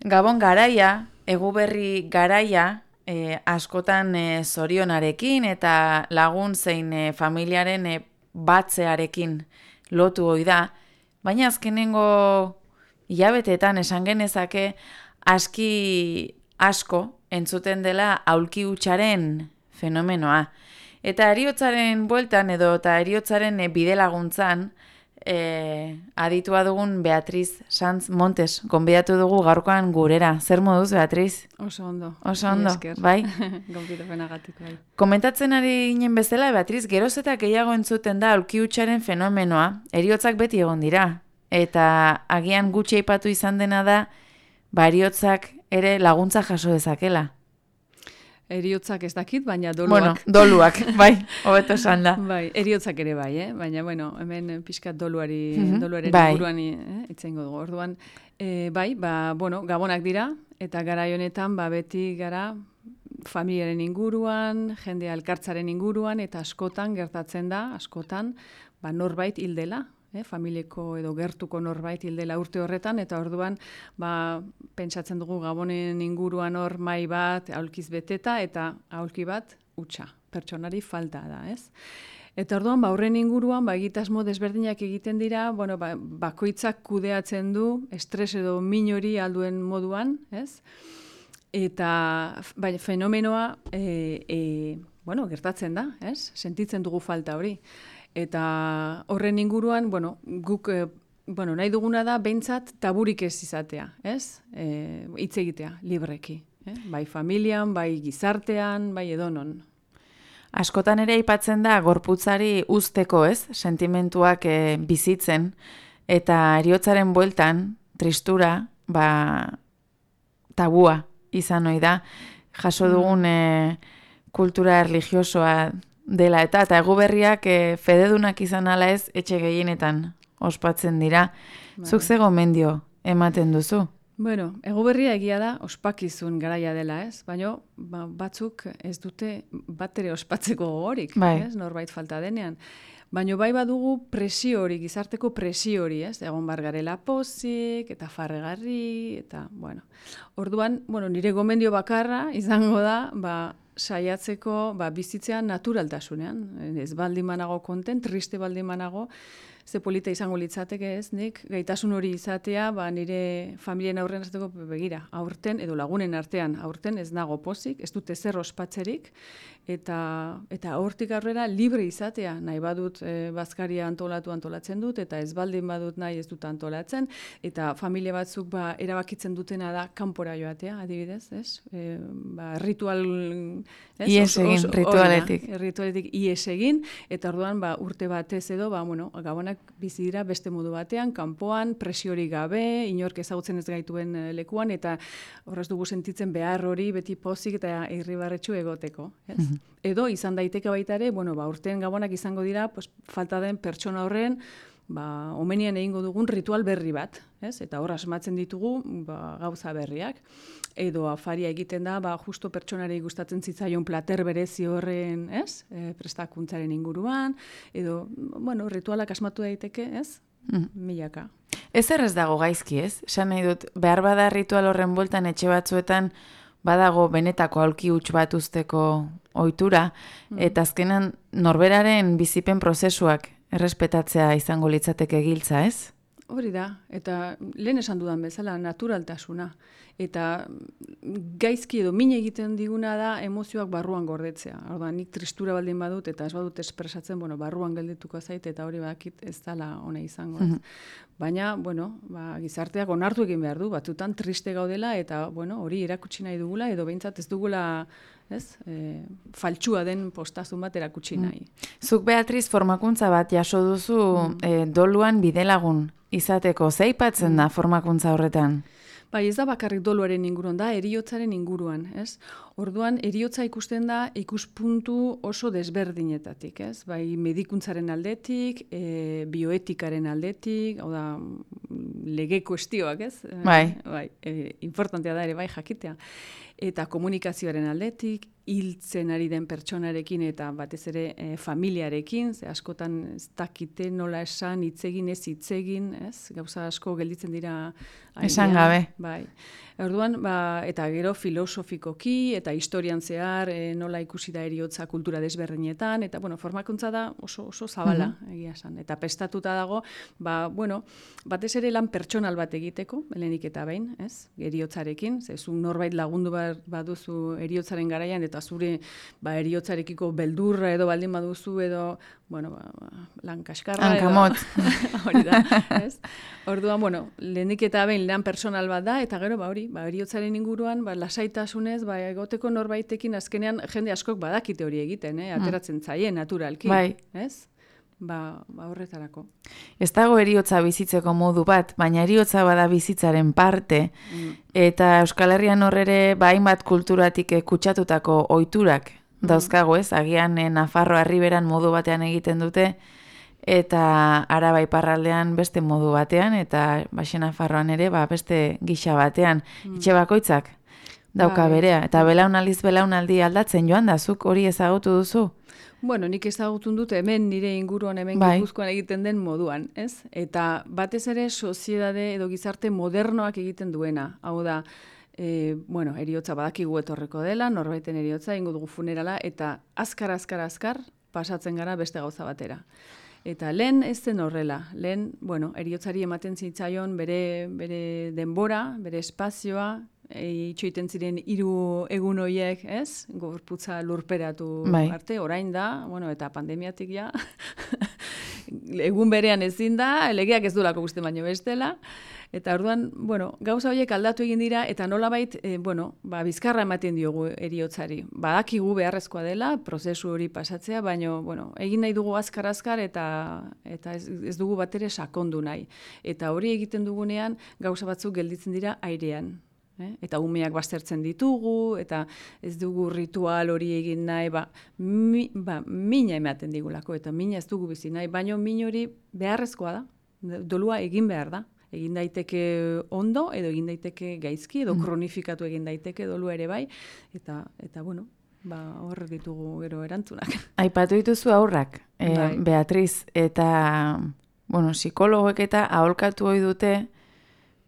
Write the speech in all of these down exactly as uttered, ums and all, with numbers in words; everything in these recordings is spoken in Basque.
Gabon garaia, eguberri garaia, e, askotan e, zorionarekin eta lagun zein e, familiaren e, batzearekin lotu ohi da, baina azkenengo hilabeteetan esan genezake aski asko entzuten dela aulki hutsaren fenomenoa. Eta eriotzaren bueltan edo eta eriotzaren e, bidelaguntzan, E, aditua dugun Beatriz Sanz Montes, gonbidatu dugu gaurkoan gurera. Zer moduz, Beatriz? Oso ondo. Oso ondo, bai? Gonbidapenagatik, bai. Komentatzen ari ginen bezala, Beatriz, geroz eta gehiago entzuten da aulki hutsaren fenomenoa, heriotzak beti egon dira. Eta agian gutxi aipatu izan dena da, ba heriotzak ere laguntza jaso dezakela. Eriotzak ez dakit, baina doluak. Bueno, doluak, bai, hobeto esan da. Bai, eriotzak ere bai, eh? Baina, bueno, hemen pixkat doluari, Mhm, doluaren bai. inguruan eh? itzengo dugu. Orduan, eh, bai, ba, bueno, gabonak dira, eta garai honetan, ba, beti gara familiaren inguruan, jende elkartzaren inguruan, eta askotan gertatzen da, askotan, ba, norbait hil dela, eh? familieko edo gertuko norbait hil dela urte horretan, eta orduan, ba, pentsatzen dugu gabonen inguruan hor mai bat, aulkiz beteta, eta aulki bat hutsa, pertsonari falta da, ez? Eta orduan, ba, horren inguruan, ba, egitasmo desberdinak egiten dira, bueno, ba, bakoitzak kudeatzen du, estres edo min hori alduen moduan, ez? Eta bai, fenomenoa e, e, bueno, gertatzen da, ez? Sentitzen dugu falta hori. Eta horren inguruan, bueno, guk e, bueno, nahi duguna da behintzat taburik ez izatea, ez? E, hitz egitea, libreki. Eh? Bai familian, bai gizartean, bai edonon. Askotan ere aipatzen da gorputzari uzteko, ez? Sentimentuak e, bizitzen eta heriotzaren bueltan tristura, ba tabua izan ohi da. Jaso dugun e, kultura erlijiosoa dela eta eta eguberriak e, fededunak izan ala ez etxe gehienetan ospatzen dira. Bai. Zuk ze gomendio ematen duzu? Bueno, eguberria egia da ospakizun garaia dela, ez? Baina ba, batzuk ez dute bat ere ospatzeko gogorik, Bai. ez? Norbait falta denean. Baina bai badugu presio hori, gizarteko presio hori, ez? Egon bar garela pozik, eta farregarri, eta, bueno. Orduan, bueno, nire gomendio bakarra izango da, ba, saiatzeko ba, bizitzean naturaltasunean. Ez baldin manago konten, triste baldin manago, ze polita izango litzateke ez, nik gaitasun hori izatea, ba, nire familien aurrean azteko begira, aurten edo lagunen artean, aurten ez nago pozik, ez dute zer ospatzerik, eta eta hortik aurrera libre izatea, nahi badut e, bazkaria antolatu antolatzen dut, eta ez baldin badut nahi ez dut antolatzen, eta familia batzuk ba, erabakitzen dutena da kanpora joatea, adibidez, ez? E, ba, ritual... Ez? Ies egin, Os, os, ritualetik. Oina, ritualetik ies egin, eta orduan ba, urte batez edo, ba, bueno, gabonak bizi dira beste modu batean, kanpoan, presiorik gabe, inork ezagutzen ez gaituen lekuan, eta horrez dugu sentitzen behar hori beti pozik eta irribarretxu egoteko. Ez? Mm-hmm. Edo izan daiteke baita ere, bueno, ba, urtean gabonak izango dira, pues, falta den pertsona horren, ba, omenian egingo dugun ritual berri bat, ez? Eta hor asmatzen ditugu ba, gauza berriak. Edo afaria egiten da, ba, justo pertsonari gustatzen zitzaion plater berezi horren, ez? E, prestakuntzaren inguruan, edo, bueno, ritualak asmatu daiteke, ez? Mm. Milaka. Ez errez dago gaizki, ez? Esan nahi dut, behar bada ritual horren bueltan etxe batzuetan badago benetako aulki huts bat uzteko ohitura, mm. eta azkenan norberaren bizipen prozesuak errespetatzea izango litzateke giltza, ez? Hori da, eta lehen esan dudan bezala, naturaltasuna. Eta gaizki edo min egiten diguna da emozioak barruan gordetzea. Orduan, nik tristura baldin badut eta ez badut espresatzen, bueno, barruan geldituko zait eta hori bakit ez dela ona izango. Ez. Baina, bueno, ba, gizarteak onartu egin behar du, batzutan triste gaudela eta, bueno, hori erakutsi nahi dugula edo behintzat ez dugula, ez, e, faltsua den postazun bat erakutsi nahi. Zuk, Beatriz, formakuntza bat jaso duzu mm. e, doluan bidelagun izateko. Ze aipatzen da formakuntza horretan? Bai, ez da bakarrik doluaren inguruan, da heriotzaren inguruan, ez? Orduan, heriotza ikusten da ikuspuntu oso desberdinetatik, ez? Bai, medikuntzaren aldetik, e, bioetikaren aldetik, hau da, lege kuestioak, ez? Bai. Bai, e, importantea da ere, bai, jakitea. Eta komunikazioaren aldetik, hiltzen ari den pertsonarekin eta batez ere e, familiarekin, ze askotan ez dakite nola esan, hitzegin ez hitzegin, ez? Gauza asko gelditzen dira airean. Esan gabe. Bai. Orduan, ba, eta gero filosofikoki eta historian zehar e, nola ikusi da eriotza kultura desberdinetan, eta bueno, formakuntza da oso, oso zabala, uh -huh. egia esan. Eta prestatuta dago, ba, bueno, batez ere lan pertsonal bat egiteko, lehenik eta behin, ez? Eriotzarekin, zezu norbait lagundu baduzu eriotzaren garaian, eta zure ba, eriotzarekiko beldurra edo baldin baduzu, edo, bueno, ba, ba, lan kaskarra. Hankamot. Hori da, ez? Orduan, bueno, lehenik eta behin lan personal bat da, eta gero, ba, hori, ba, eriotzaren inguruan, ba, lasaitasunez, ba, egoteko norbaitekin azkenean jende askok badakite hori egiten, eh? Ateratzen zaie, naturalki, bai. Ez? Ba, ba horretarako. Ez dago eriotza bizitzeko modu bat, baina eriotza bada bizitzaren parte, mm. eta Euskal Herrian horrere, ba, hainbat kulturatik kutsatutako ohiturak mm. dauzkago, ez? Agian eh, Nafarroa Erriberan modu batean egiten dute, eta Araba iparraldean beste modu batean, eta Baxe Nafarroan ere ba, beste gisa batean. Mm. Etxe bakoitzak dauka berea, eta belaunaldiz belaunaldi aldatzen joan da, zuk hori ezagutu duzu? Bueno, nik ezagutun dut hemen nire inguruan hemen bai. Gipuzkoan egiten den moduan, ez? Eta batez ere soziedade edo gizarte modernoak egiten duena. Hau da, e, bueno, eriotza badakigu etorreko dela, norbaiten eriotza, ingo dugu funerala, eta azkar, azkar, azkar pasatzen gara beste gauza batera. Eta lehen ez zen horrela, lehen, bueno, eriotzari ematen zitzaion bere, bere denbora, bere espazioa, e, itxoiten ziren hiru egun horiek, ez? Gorputza lurperatu bai. Arte, orain da, bueno, eta pandemiatik ja, egun berean ezin da, legeak ez duelako guzti baino bestela, eta orduan, bueno, gauza horiek aldatu egin dira, eta nolabait, e, bueno, ba, bizkarra ematen diogu eriotzari. Badakigu beharrezkoa dela, prozesu hori pasatzea, baino, bueno, egin nahi dugu azkar-azkar, eta, eta ez, ez dugu batere sakondu nahi. Eta hori egiten dugunean, gauza batzuk gelditzen dira airean. Eh? Eta umeak baztertzen ditugu, eta ez dugu ritual hori egin nahi, ba, mi, ba, mina ematen digulako, eta mina ez dugu bizi nahi, baino min hori beharrezkoa da, dolua egin behar da. Egin daiteke ondo, edo egin daiteke gaizki, edo kronifikatu egin daiteke dolua ere bai, eta, eta bueno, ba, hor ditugu gero erantzunak. Aipatu dituzu aurrak, e, bai. Beatriz, eta, bueno, psikologoek eta aholkatu ohi dute,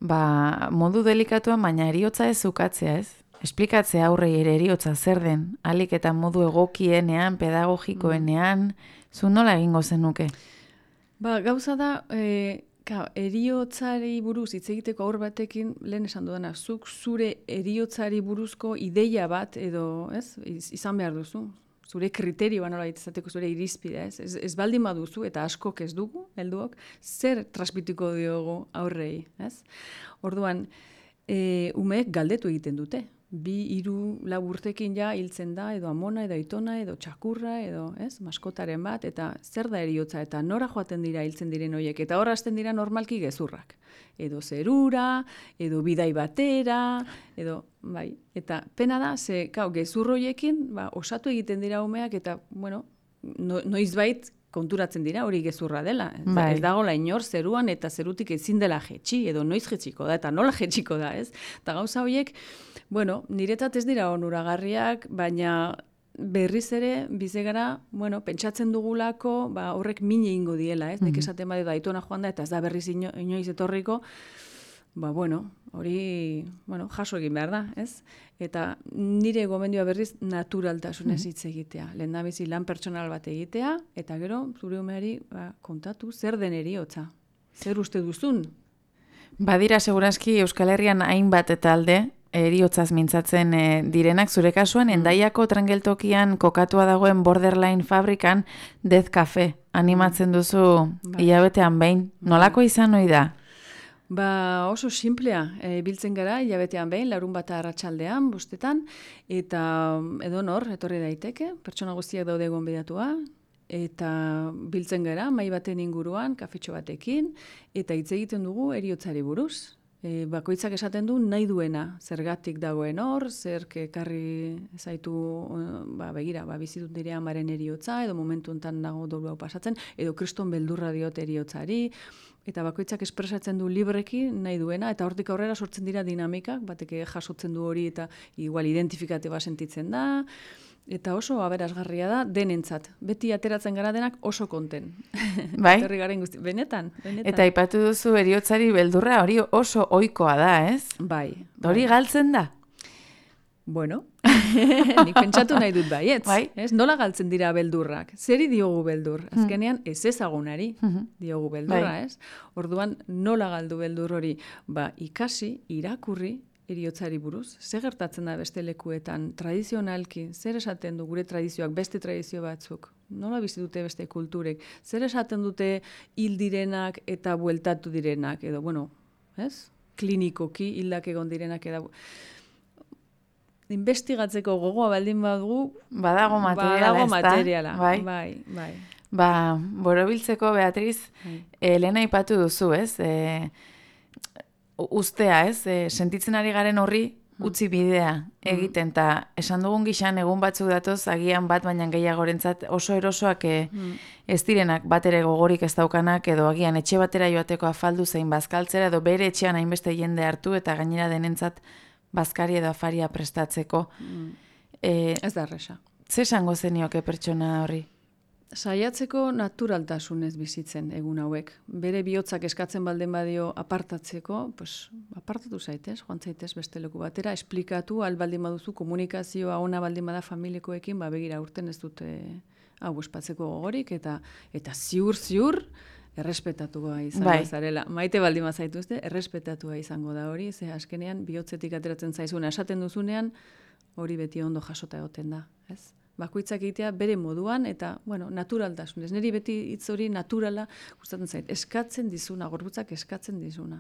ba, modu delikatuan, baina eriotza ez ukatzea, ez? Esplikatzea aurrei ere eriotza zer den, alik eta modu egokienean, pedagogikoenean, zu nola egingo zenuke? Ba, gauza da, e, ka, eriotzari buruz hitz egiteko aur batekin, lehen esan dudana, zuk zure eriotzari buruzko ideia bat, edo, ez, izan behar duzu. Zure kriterioa nola izateko zure irizpidea, ez? Ez, ez baldin baduzu, eta askok ez dugu, helduok, zer transmitiko diogu aurrei, ez? Orduan, e, umeek galdetu egiten dute. Bi, hiru, lau urtekin ja hiltzen da, edo amona, edo aitona, edo txakurra, edo, ez? Maskotaren bat, eta zer da eriotza, eta nora joaten dira hiltzen diren horiek, eta hor hasten dira normalki gezurrak. Edo zerura, edo bidai batera, edo, bai, eta pena da, ze, kau, gezurroiekin, ba, osatu egiten dira umeak, eta, bueno, no, noizbait konturatzen dira, hori gezurra dela. Bai. Ez dagoela inor zeruan, eta zerutik ezin dela jetxi, edo noiz jetxiko da, eta nola jetxiko da, ez? Eta gauza horiek, bueno, niretzat ez dira onuragarriak, baina berriz ere, bizegara, bueno, pentsatzen dugulako, ba, horrek min egingo diela, ez? Mm-hmm. Nik esaten badu da, aitona joan da, eta ez da berriz ino, inoiz etorriko, ba, bueno, hori, bueno, jaso egin behar da, ez? Eta nire gomendioa berriz naturaltasunez hitz egitea. Lehendabizi lan pertsonal bat egitea, eta gero, zure umeari, ba, kontatu, zer den eriotza? Zer uste duzun? Badira, segurazki, Euskal Herrian hainbat eta alde, eriotzaz mintzatzen e, direnak, zure kasuan, Endaiako trangeltokian kokatua dagoen Borderline fabrikan Death Cafe animatzen duzu bai. Hilabetean behin. Nolako izan ohi da? Ba, oso simplea, e, biltzen gara, hilabetean behin, larun bat arratsaldean, bostetan, eta edo nor, etorri daiteke, pertsona guztiak daude gonbidatua, eta biltzen gara, mahai baten inguruan, kafetxo batekin, eta hitz egiten dugu eriotzari buruz. E, bakoitzak esaten du nahi duena, zergatik dagoen hor, zer ekarri zaitu, ba, begira, ba, bizitut nire amaren eriotza, edo momentu enten nago dolu hau pasatzen, edo kriston beldurra diot eriotzari, eta bakoitzak espresatzen du libreki nahi duena, eta hortik aurrera sortzen dira dinamikak, bateke jasotzen du hori eta igual identifikate bat sentitzen da, eta oso aberasgarria da denentzat. Beti ateratzen gara denak oso konten. Bai? Etorri garen guzti. Benetan, benetan. Eta aipatu duzu heriotzari beldurra, hori oso ohikoa da, ez? Bai. Hori galtzen da? Bueno, nik pentsatu nahi dut baietz. Bai. Ez? Nola galtzen dira beldurrak? Zeri diogu beldur? Azkenean ez ezagunari diogu beldurra, Bai. ez? Orduan nola galdu beldur hori? Ba, ikasi, irakurri, heriotzari buruz, zer gertatzen da beste lekuetan, tradizionalki, zer esaten du gure tradizioak, beste tradizio batzuk, nola bizi dute beste kulturek, zer esaten dute hil direnak eta bueltatu direnak, edo, bueno, ez? Klinikoki hildak egon direnak, edo, investigatzeko gogoa baldin badugu, Badago materiala, badago ezta? materiala, Bai. bai, bai. Ba, borobiltzeko, Beatriz, Bai. Elena aipatu duzu, ez? E, ustea, ez? E, sentitzen ari garen horri utzi bidea egiten, eta esan dugun gixan egun batzuk datoz, agian bat baina gehiagorentzat oso erosoak e, ez direnak bat ere gogorik ez daukanak, edo agian etxe batera joateko afaldu zein bazkaltzera, edo bere etxean hainbeste jende hartu, eta gainera denentzat bazkari edo afaria prestatzeko. E, Ez da erresa. ze esango zenioke pertsona horri? Saiatzeko naturaltasunez bizitzen egun hauek. Bere bihotzak eskatzen baldin badio apartatzeko, pues, apartatu zaitez, joan zaitez beste leku batera, esplikatu, al baldin baduzu komunikazioa ona baldin bada familikoekin, ba begira urten ez dute hau espatzeko gogorik, eta eta ziur, ziur, errespetatua izango Bai. zarela. Maite baldin bazaituzte, errespetatua izango da hori, ze azkenean bihotzetik ateratzen zaizuna esaten duzunean, hori beti ondo jasota egoten da, ez? Bakoitzak egitea bere moduan eta, bueno, naturaltasunez. Neri beti hitz hori naturala gustatzen zait. Eskatzen dizuna, gorputzak eskatzen dizuna.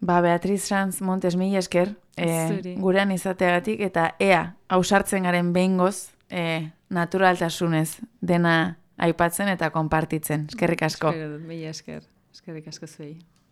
Ba, Beatriz Sanz Montes, mila esker, e, Zuri. gurean izateagatik, eta ea, ausartzen garen behingoz, e, naturaltasunez dena aipatzen eta konpartitzen. Eskerrik asko. Espero dut, mila esker. Eskerrik asko zuei.